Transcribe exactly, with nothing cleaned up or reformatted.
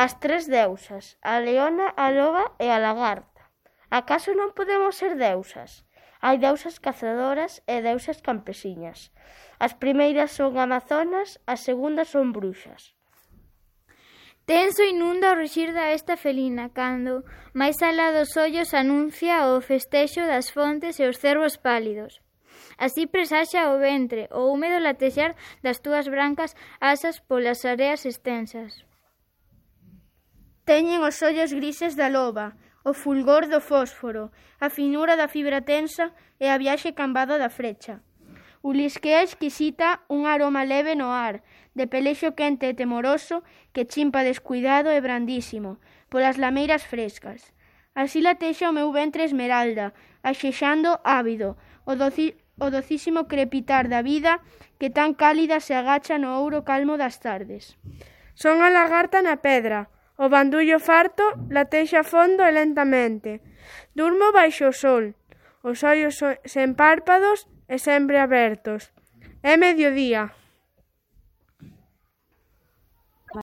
as tres deusas, a leona, a loba e a lagarta. Acaso non podemos ser deusas? Hai deusas cazadoras e deusas campesiñas. As primeiras son amazonas, as segundas son bruxas. Tenso inunda o ruxir da esta felina, cando, máis alá dos ollos, anuncia o festexo das fontes e os cervos pálidos. Así presaxa o ventre, o húmedo latexar das túas brancas asas polas areas extensas. Teñen os ollos grises da loba, o fulgor do fósforo, a finura da fibra tensa e a viaxe cambada da frecha. Ulisquea exquisita un aroma leve no ar, de pelexo quente e temoroso que chimpa descuidado e brandísimo polas lameiras frescas. Así latexa o meu ventre esmeralda, axexando ávido, o, doci, o docísimo crepitar da vida que tan cálida se agacha no ouro calmo das tardes. Son a lagarta na pedra, o bandullo farto latexa fondo e lentamente. Durmo baixo o sol, os ollos sen párpados e sempre abertos. É mediodía.